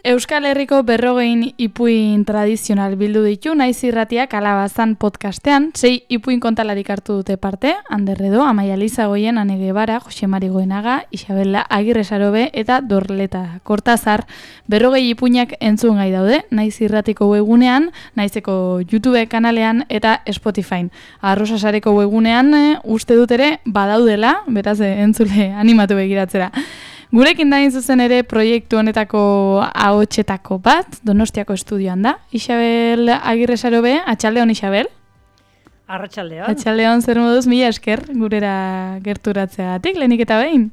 Euskal Herriko 40 ipuin tradizional bildu ditu Naiz Irratiak Alabazan podcastean, 6 ipuin kontalarik hartu dute parte, Ander Edo, Amaia Lizagoien, Ane Guevara, Jose Mari Goenaga, Isabela Agirre Sarobe eta Dorleta Kortazar. 40 ipuinak entzun gai daude, Naiz Irratiko webgunean, Naizeko YouTube kanalean eta Spotifyn. Arrosa Sareko webgunean uste dut ere badaudela, beraz entzule animatu begiratzera. Gurekin dain zuzen ere proiektu honetako ahotsetako bat, Donostiako estudioan da. Isabel Agirre Sarobe, atxaldeon Isabel. Arratsaldeon. Atxaldeon, zer moduz, mila esker gurera gerturatzeagatik, lehenik eta behin.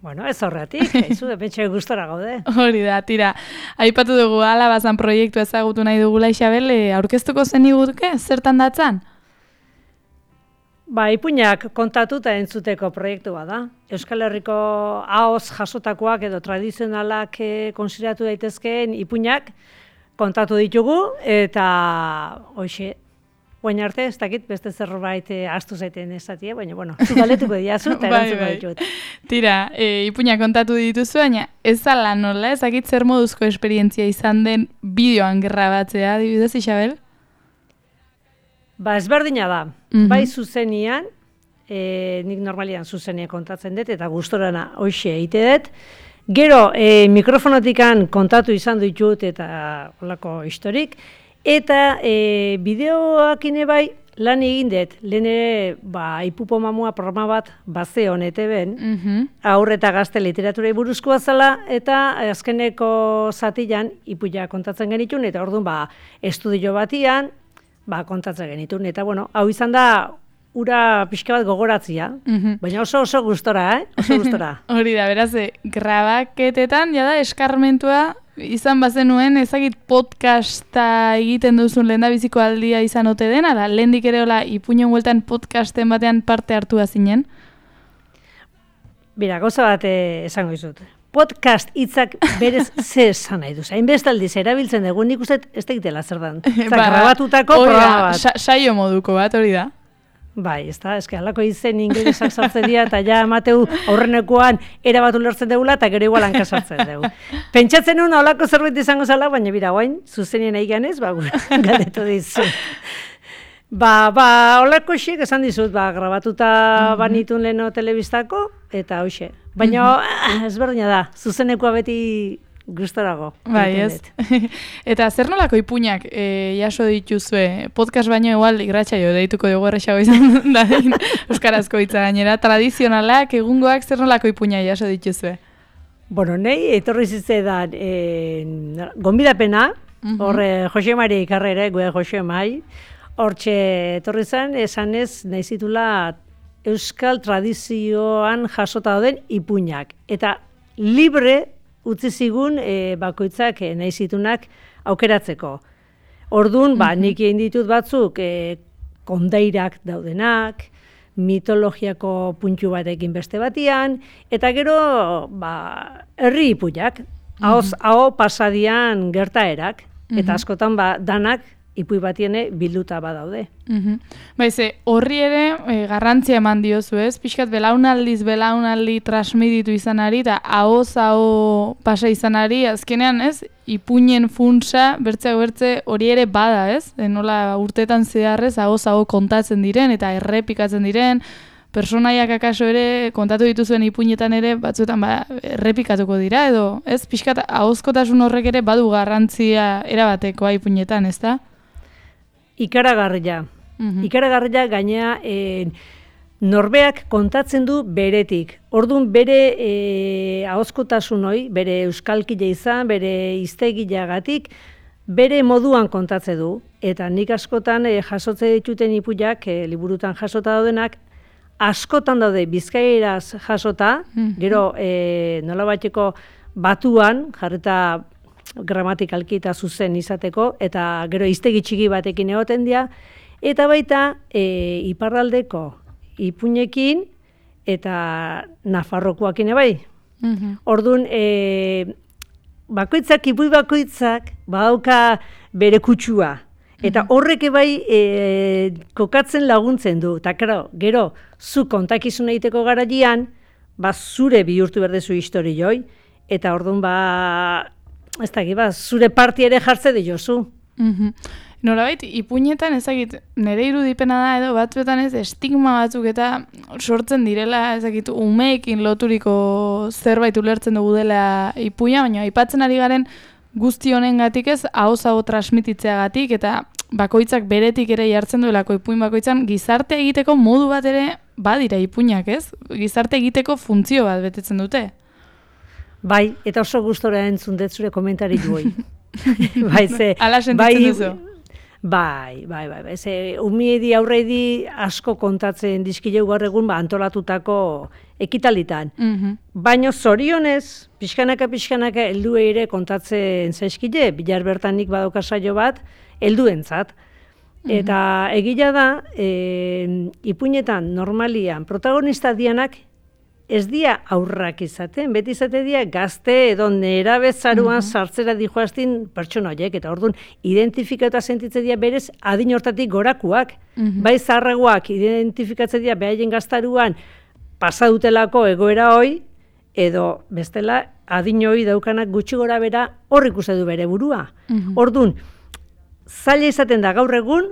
Bueno, ez horretik, haizu, depentxe gustora gaude. Hori da, tira. Aipatu dugu Alabazan proiektu ezagutu nahi dugula Isabel, aurkeztuko zen igutuke, zertan datzan? Ipuinak kontatuta entzuteko proiektu bada. Euskal Herriko ahoz jasotakoak edo tradizionalak konsideratu daitezkeen ipuinak kontatu ditugu eta hoxe, guain arte, ez dakit beste zerbait astu zaiten esatie, baina, bueno, zu galetuko diazu eta erantzuko ditut. Tira, ipuinak kontatu dituzu, baina ez ala nola, ez dakit zer moduzko esperientzia izan den bideoan grabatzea, adibidez, Isabel? Ezberdina da. Bai zuzenian, nik normalian zuzenia kontatzen dut, eta gustorana hoxe eite dut. Gero, mikrofonotikan kontatu izan ditut eta holako historik. Eta bideoak bai lan egin dut. Lehen ere, Ipupo Mamua programa bat bazeon ETB-en, aurre eta gazte literaturai buruzkoa zela, eta azkeneko zatian ipuia kontatzen genitun, eta orduan estudio batian, kontatzen genitun, eta bueno, hau izan da ura pixka bat gogoratzia, baina oso gustora, oso gustora. Hori da, beraz, grabaketetan, jada, eskarmentua izan bazenuen, ezagit podcasta egiten duzun lehendabiziko aldia izan ote dena, da, lehendik ere hola ipuñon bueltan podcasten batean parte hartu azinen? Bira, gauza bat esango izut. Podcast hitzak berez ze esan nahi duz. Hainbestaldiz erabiltzen dugu, nik uste ez tegitela zer dan. Grabatutako programa bat. Saio moduko bat, hori da. Bai, ez da, eske halako izen ingelesak sartzen dira, eta ja emateu aurrenekoan erabat ulertzen dugula, eta gero igual hankasartzen dugu. Pentsatzen nuen holako zerbait izango zala, baina bira guain, zuzenien nahi ganez, galdetu dizu. Holako xiek esan dizut, grabatuta banitun leheno telebistako, eta hoxe. Baina ezberdina da, zuzenekoa beti gustorago. Bai, ez. Eta zer nolako ipuinak jaso dituzue? Podcast baino igual irratsaio deituko dugu erresago izan dadin euskarazko hitza gainera. Tradizionalak, egungoak zer nolako ipuinak jaso dituzue? Bueno, nahi etorri zitzedan gonbidapena, horre Jose Mari Ikarrere, gue Jose Mai, hortxe etorri zen, esanez nahi zitula euskal tradizioan jasota dauden ipuinak. Eta libre utzi zigun bakoitzak nahi zitunak aukeratzeko. Orduan, nik egin ditut batzuk kondairak daudenak, mitologiako puntu batekin beste batian, eta gero herri ipuinak, hau pasadian gertaerak, eta askotan danak ipui batiene bilduta badaude. Horri ere garrantzia eman diozu, ez? Pixkat belaunaldi transmititu izanari, eta aho pasa izanari, azkenean, ez? Ipuinen funtsa, bertze hori ere bada, ez? Nola urtetan zeharrez, aho kontatzen diren, eta errepikatzen diren, personaiak akaso ere, kontatu dituzuen ipuinetan ere, batzuetan errepikatuko dira, edo, ez? Pixkat ahozkotasun horrek ere badu garrantzia erabatekoa ipuinetan, ez da? Ikaragarria. Ikaragarria gainea norbeak kontatzen du beretik. Orduan bere ahozkotasun hori, bere euskalkile izan, bere hiztegiagatik, bere moduan kontatzen du. Eta nik askotan jasotze dituten ipuiak, liburutan jasota daudenak, askotan daude bizkaieraz jasota, gero nolabaiteko batuan, jarreta gramatikalki eta zuzen izateko, eta gero hiztegi txiki batekin egoten dira, eta baita iparraldeko ipuinekin eta Nafarrokoakin bai. Orduan, ipui bakoitzak badauka bere kutsua, eta horrek bai kokatzen laguntzen du, eta gero, zu kontakizun egiteko garaian, zure bihurtu berdezu historioi, eta orduan ez dakit, zure parti ere jartze diozu. Norabait, ipuinetan ezagit, nire irudipena da edo batzuetan ez estigma batzuk eta sortzen direla, ezagit, umeekin loturiko zerbait ulertzen dugu dela ipuina, baina aipatzen ari garen guzti honengatik ez, ahoz-aho transmititzeagatik eta bakoitzak beretik ere jartzen duelako ipuin bakoitzan, gizarte egiteko modu bat ere badira ipuinak ez? Gizarte egiteko funtzio bat betetzen dute. Bai, eta oso gustora entzun dut zure komentari duoi. Bai, ala sentitzen duzu? Bai. Ze umiedi aurreidi asko kontatzen dizkileu gaur egun antolatutako ekitalitan. Baina zorionez, pixkanaka helduei ere kontatzen zaizkile, bilar bertan nik badauka saio bat, helduentzat. Eta egia da, ipuinetan normalian protagonista dianak ez dia aurrak izaten, beti izate dia gazte edo nerabezaruan sartzera dijoaztin pertsona horiek, eta orduan identifikatuta sentitzen dia berez adin hortatik gorakuak, bai zaharragoak identifikatzen dia behaien gaztaruan pasadutelako egoera hoi, edo bestela adin hoi daukanak gutxi gora bera hor ikuste du bere burua. Orduan, zaila izaten da gaur egun,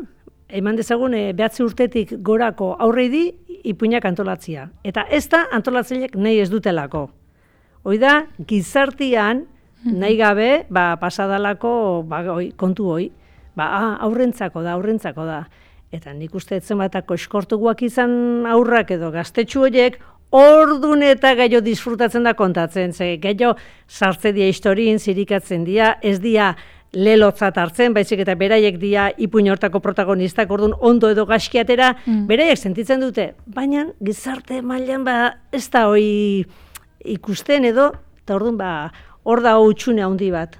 eman dezagun 9 urtetik gorako aurreidi ipuinak antolatzia. Eta ez da antolatzaileak nahi ez dutelako. Hoi da, gizartian nahi gabe, pasadalako kontu hoi, aurrentzako da. Eta nik uste etzen batako eskortuguak izan aurrak edo gaztetxu horiek, ordun eta gehiago disfrutatzen da kontatzen. Ze gehiago sartze dia historien, zirikatzen dia, ez dia lelotzat hartzen, baizik eta beraiek dia ipuin hortako protagonistak, orduan ondo edo gaskiatera, beraiek sentitzen dute. Baina gizarte mailan ez da hoi ikusten edo, eta orduan hor da hutxune handi bat.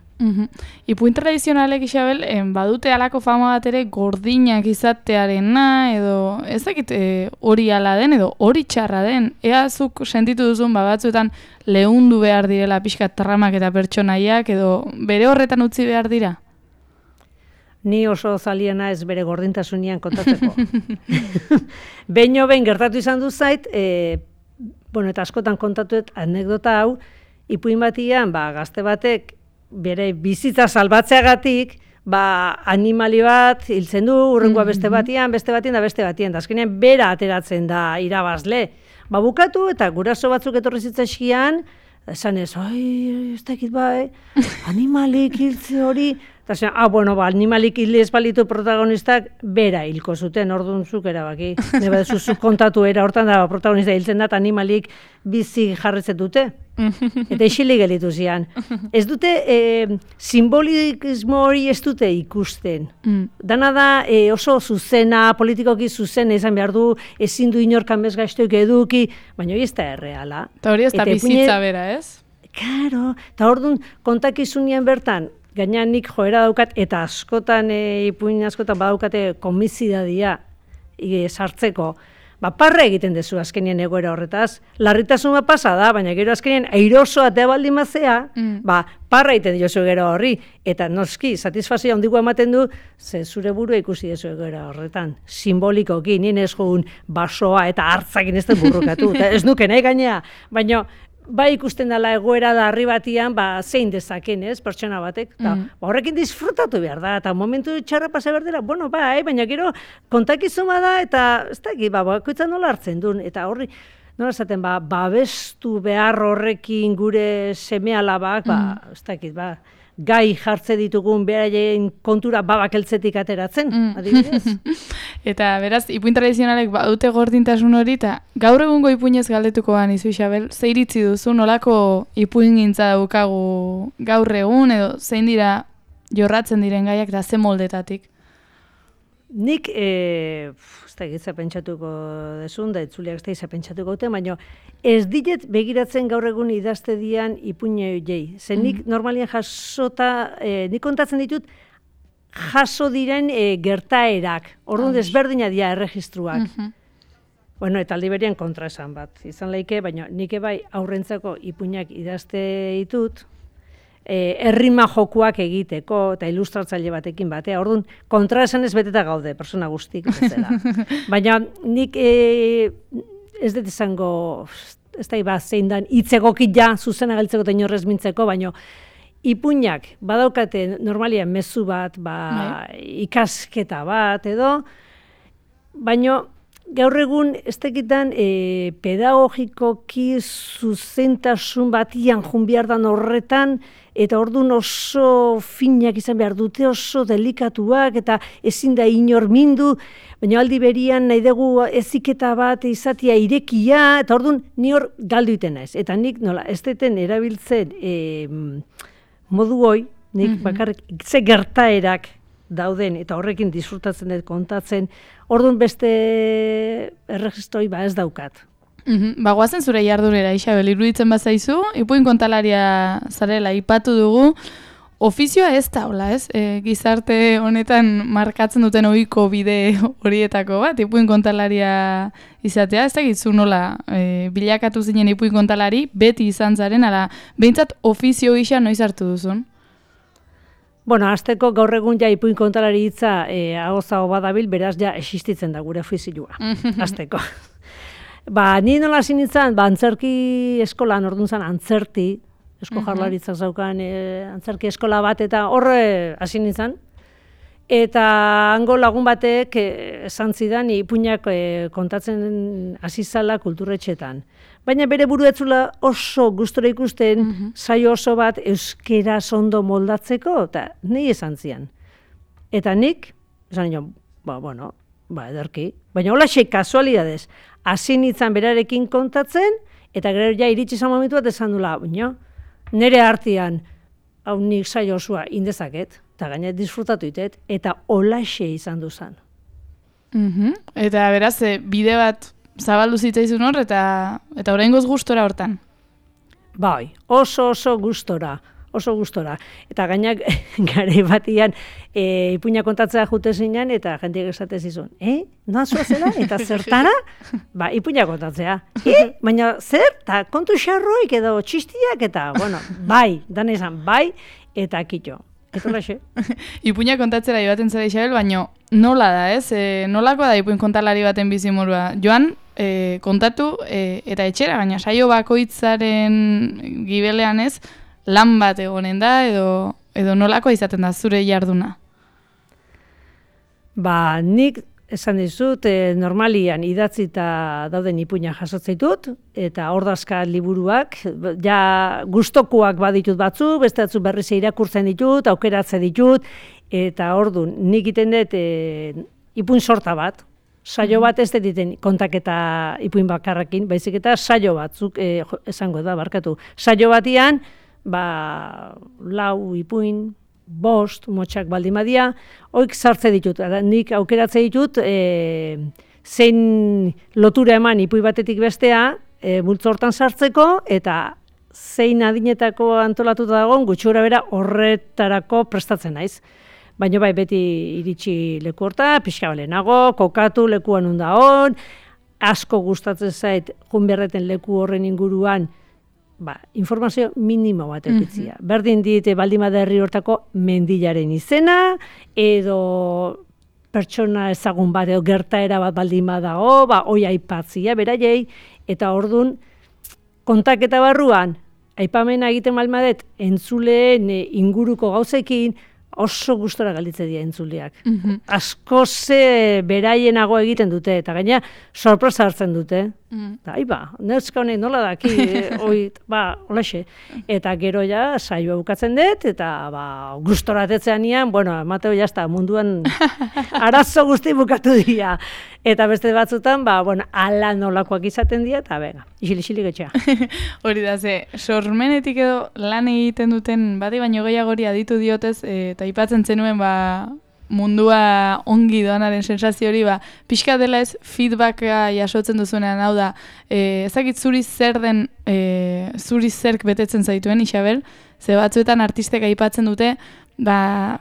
Ipuin tradizionalek, Isabel, badute halako fama bat ere gordinak izatearena, edo ez dakit hori ala den, edo hori txarra den. Ea zuk sentitu duzun batzuetan leundu behar direla pixkat tramak eta pertsonaiak, edo bere horretan utzi behar dira? Ni oso zaliena ez bere gordintasunian kontatzeko. Behin gertatu izan du zait, eta askotan kontatuet anekdota hau, ipuin batian, gazte batek, bere bizitza salbatzeagatik, animali bat hiltzen du, urrengoa beste batian, da azkenean bera ateratzen da irabazle. Bukatu eta guraso batzuk etorri zitzaizkian, esan ez, ez dakit animalik hiltze hori, eta zen, animalik hilez balitu protagonistak, bera hilko zuten, orduan zuk erabaki. Neba zuzuk kontatu era hortan da protagonista hiltzen da, animalik bizi jarretzen dute. Eta isilik gelitu zian. Ez dute, simbolismo hori ez dute ikusten. Dana da oso zuzena, politikoki zuzena izan behar du, ezin du inorkan bezgaiztuik eduki, baina hori ez da erreala. Eta hori ez da bizitza bera, ez? Karo, eta orduan kontakizunian bertan, gainean nik joera daukat, eta askotan, ipuin askotan badaukate komisidadia sartzeko, parra egiten dezu azkenien egoera horretaz. Larritasuna pasa da, baina gero azkenien airosoa atea baldin mazea, parra egiten diozu gero horri. Eta noski, satisfazioa handiko ematen du, ze zure burua ikusi dezu egoera horretan. Simbolikoki, nien ez joan basoa eta hartzakin ez den burrukatu. Ez nuke nahi gainea, baina ikusten dela egoera da harri batian, zein dezaken, ez, pertsona batek. Horrekin disfrutatu behar da, eta momentu txarra pasa behar dela, baina gero kontakizuma da, eta ez dakit, bakoitzan nola hartzen duen, eta horri, nola esaten, babestu behar horrekin gure seme-alabak, ez dakit, gai jartze ditugun beraien kontura bakeltzetik ateratzen, adibidez. Eta beraz, ipuin tradizionalek badute gordintasun hori, eta gaur egungo ipuinez galdetuko izu, Isabel, ze iritzi duzu, nolako ipuin gintza daukagu gaur egun, edo zein dira jorratzen diren gaiak da ze moldetatik? Nik, ez da egitza pentsatuko desun, da itzuliak ez da egitza pentsatuko dute, baina ez diet begiratzen gaur egun idazte dian ipuine horiei. Zer nik normalian jasota, nik kontatzen ditut, jaso diren gertaerak, orduan desberdina dira erregistruak. Eta aldi berian kontra esan bat, izan laike, baina nik bai aurrentzako ipuinak idazte ditut, errima jokuak egiteko eta ilustratzaile batekin batea. Orduan, kontra esan ez beteta gaude, persona guztik bezala. Baina nik ez dut izango, ez da zein dan hitzegokit ja zuzena galtzeko eta inorrez mintzeko, baino ipuinak badaukate normalian mezu bat, ikasketa bat edo, baino gaur egun ez tekitan pedagogikoki zuzentasun batian junbiardan horretan, eta orduan oso finak izan behar dute, oso delikatuak, eta ezin da inor mindu, baina aldi berian nahi dugu eziketa bat izatea irekia, eta orduan ni hor galdu iten naiz. Eta nik nola, ez deten erabiltzen modu hoi, nik bakarrik ze gertaerak dauden, eta horrekin disfrutatzen dut kontatzen, orduan beste erregistroi ez daukat. Goazen zure jardunera, Isabel, iruditzen bazaizu, ipuin kontalaria zarela ipatu dugu, ofizioa ez da, hola, ez? Gizarte honetan markatzen duten ohiko bide horietako bat, ipuin kontalaria izatea, ez da gitzu nola bilakatu zinen ipuin kontalari, beti izan zaren, ala, behintzat ofizio gisa noiz hartu duzun? Bueno, azteko gaur egun ja ipuin kontalari hitza agozago badabil, beraz ja existitzen da gure ofizioa, azteko. Ni nola hasi nintzen, antzerki eskolan, orduan zen antzerti, Eusko Jaurlaritzak zaukan antzerki eskola bat, eta horre hasi nintzen. Eta hango lagun batek esan zidan ipuinak kontatzen hasi zala kulturretxetan. Baina bere buruetzula oso gustora ikusten, saio oso bat euskera ondo moldatzeko, eta nahi esan zian. Eta nik, esan nion, ederki. Baina hola kasualidadez, hasi nintzen berarekin kontatzen, eta gero ja iritsi izan momentu bat esan dula, nire artean, hau nik saio osoa indezaket, eta gaina disfrutatu itet, eta holaxe izan duzan. Eta beraz, bide bat zabaldu zitzaizun hor, eta oraingoz gustora hortan? Bai, oso gustora. Eta gainak gare batian ipuina kontatzea jute zinean, eta jendeak esate zizun, noa zela? Eta zertara? Ipuina kontatzea. Baina zer? Ta kontu xarroik edo txistiak, eta, bai, dan esan, bai, eta kito. Eta laxe. Ipuina kontatzera joaten zara, Isabel, baina nola da, ez? Nolakoa da ipuin kontalari baten bizimorua? Joan, kontatu, eta etxera, baina saio bakoitzaren gibelean ez, lan bat egonen da, edo nolakoa izaten da zure jarduna? Nik esan dizut, normalian idatzita dauden ipuina jasotzeitut, eta ordazka liburuak, ja gustokoak baditut batzu, beste batzu berriz irakurtzen ditut, aukeratze ditut, eta orduan nik iten dut ipuin sorta bat, saio bat ez diten kontaketa ipuin bakarrakin, baizik eta saio batzuk, esango da, barkatu, saio batian, 4 ipuin, 5 motxak baldimadia, hoik sartze ditut, nik aukeratze ditut, zein lotura eman ipui batetik bestea, multzo hortan sartzeko, eta zein adinetako antolatuta dagoen, gutxura bera horretarako prestatzen naiz. Baina bai, beti iritsi leku horta, pixka balenago, kokatu lekuan unda hon, asko gustatzen zait, junberreten leku horren inguruan, informazio minimo bat eukitzia. Berdin dit baldimada herri hortako mendilaren izena, edo pertsona ezagun bat, edo gertaera bat baldimada hoi aipatzia, beraiei, eta ordun kontaketa barruan, aipamena egiten balmadet, entzuleen inguruko gauzekin, oso gustora galditzen dira entzuleak. Asko ze beraienago egiten dute, eta gaina sorpresa hartzen dute. Neuzka honek nola daki, holaxe. Eta gero ja, saioa bukatzen dut, eta gustora atetzean nian, Mateo jazta, munduan arazo guzti bukatu dira. Eta beste batzutan, ala nolakoak izaten dira, eta isilik etxea. Hori da, sormenetik edo lan egiten duten, bati baino gehiagori aditu diotez, eta aipatzen zenuen, mundua ongi doanaren sensazio hori, pixka dela ez feedbacka jasotzen duzunean, hau da, ezakit zuri zer den, zuri zerk betetzen zaituen, Isabel, ze batzuetan artistek aipatzen dute,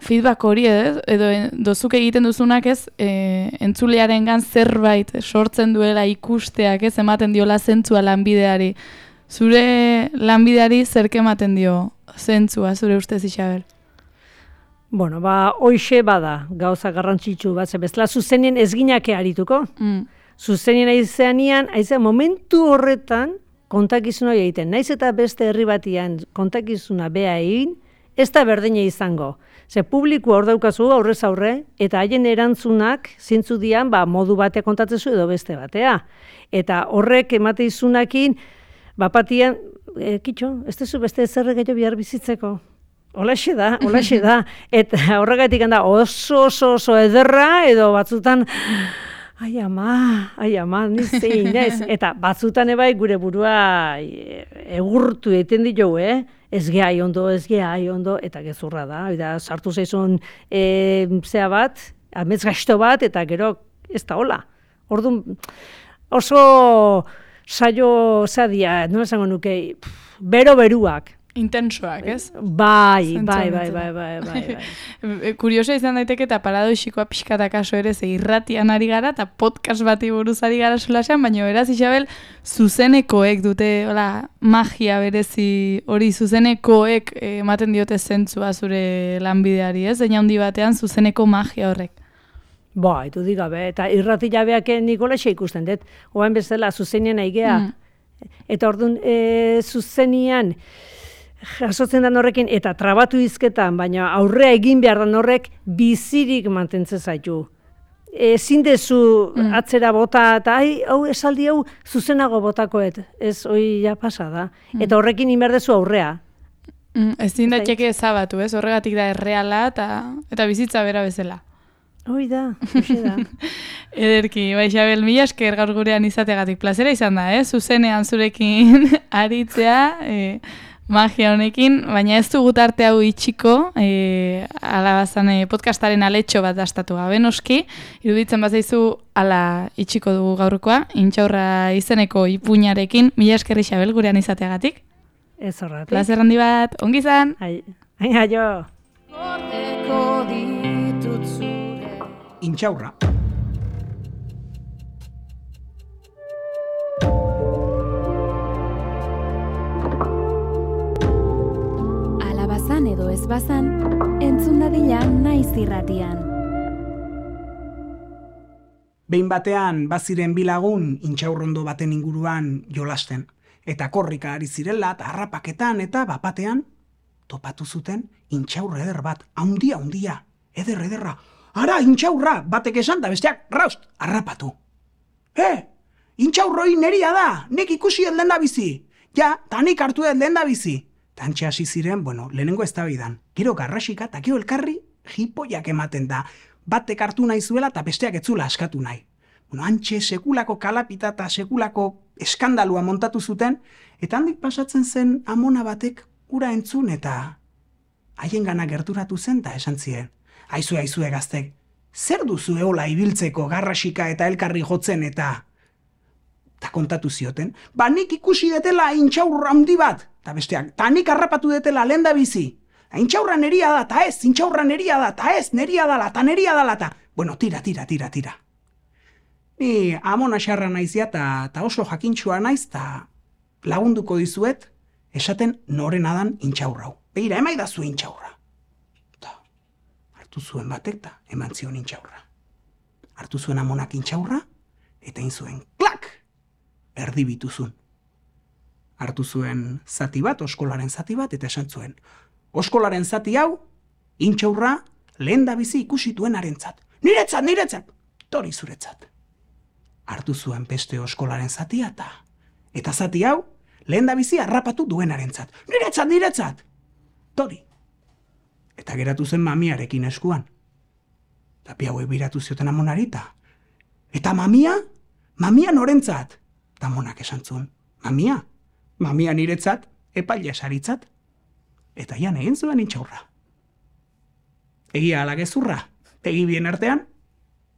feedback hori edo dozuk egiten duzunak ez, entzulearengan zerbait sortzen duela ikusteak ez, ematen diola zentzua lanbideari. Zure lanbideari zerk ematen dio zentzua, zure ustez, Isabel? Hoixe bada gauza garrantzitsu bat, bezala zuzenien ez ginake arituko. Zuzenien aizean momentu horretan, kontakizun hori egiten. Naiz eta beste herri batian kontakizuna bea egin, ez da berdina izango. Ze publiko hor daukazu aurrez aurre, eta haien erantzunak zintzu dian modu bate kontatzezu edo beste batea. Eta horrek emate izunakin, bapatian, kitxo, ez dezu beste zerre gehiago bihar bizitzeko. Olaxe da. Eta horregatik handa oso ederra, edo batzutan, ai ama, nizein, ez. Eta batzutan ebai gure burua egurtu egiten ditugu, Ez geha ondo, eta gezurra da. Eta sartu zaizun zea bat, amets gaizto bat, eta gero ez da hola. Orduan, oso saio zadia, nola esango nuke, beruak. Intensoak, ez? Bai. Kuriosa izan daiteke eta paradoxikoa pixkata kaso ere, ze irratian ari gara eta podcast bati buruz ari gara solasean, baina beraz, Isabel, zuzenekoek dute, magia berezi hori zuzenekoek ematen diote zentzua zure lanbideari, ez? Zeina handi batean zuzeneko magia horrek. Bai, du digabe, eta irrati jabeak Nikolaxe ikusten dut, oain bezala zuzenean aigea, eta orduan zuzenian, jasotzen den horrekin, eta trabatu izketan, baina aurrea egin behar den horrek bizirik mantentzen zaitu. Ezin dezu atzera bota, eta hau esaldi hau zuzenago botakoet, ez hoi ja pasa da. Eta horrekin inberdezu aurrea. Ezin daiteke ezabatu, ez? Horregatik da erreala eta bizitza bera bezala. Hoi da, hoxe da. Ederki, Isabel, mila esker gaur gurean izategatik plazera izan da, zuzenean zurekin aritzea, magia honekin, baina ez dugu tarte hau itxiko, alabazan podcastaren aletxo bat dastatu gabe noski, iruditzen bazaizu ala itxiko dugu gaurkoa, Intxaurra izeneko ipuinarekin, mila esker Isabel gurean izateagatik. Ez horretik. Plazer handi bat, ongi izan. Aio. Intxaurra. Alabazan edo ez bazan, entzun dadila naiz irratian. Behin batean baziren bilagun intxaurrondo baten inguruan jolasten. Eta korrika ari zirela, eta harrapaketan eta bapatean topatu zuten intxaurra eder bat, haundia, ederra. Ara, intxaurra, batek esan da besteak, raust, harrapatu. Intxaurroi neria da, nek ikusi ez lehen da bizi. Ja, tanik hartu ez lehen da bizi. Tantxe hasi ziren, lehenengo eztabaidan. Gero garrasika eta gero elkarri jipoiak ematen da. Batek hartu nahi zuela eta besteak etzula askatu nahi. Antxe sekulako kalapita eta sekulako eskandalua montatu zuten, eta handik pasatzen zen amona batek ura entzun eta haien gana gerturatu zen eta esan ziren. Aizue gaztek, zer duzu eola ibiltzeko garrasika eta elkarri jotzen eta kontatu zioten, nik ikusi detela intxaurra handi bat, eta besteak, nik harrapatu detela lehen da bizi. Intxaurra neria da, eta ez, intxaurra neria da, eta ez, neria dala, eta bueno, tira. Ni amona xarra naizia eta oso jakintxua naiz, eta lagunduko dizuet, esaten noren adan intxaurrau. Begira, emaidazu intxaurra. Hartu zuen batek eta eman zion intxaurra. Hartu zuen amonak intxaurra, eta zuen klak! Erdibituzun. Hartu zuen zati bat, oskolaren zati bat, eta esan zuen. Oskolaren zati hau, intxaurra lehen da bizi ikusituen arentzat. Niretzat! Tori zuretzat. Hartu zuen beste oskolaren zatia eta zati hau, lehen da bizi harrapatu duen arentzat. Niretzat! Tori. Eta geratu zen mamiarekin eskuan. Tapi hauek biratu zioten amonarita. Eta mamia norentzat. Eta amonak esan zuen, mamia niretzat, epaila esaritzat. Eta jan egin zuen intxaurra. Egia ala gezurra, egi bien artean,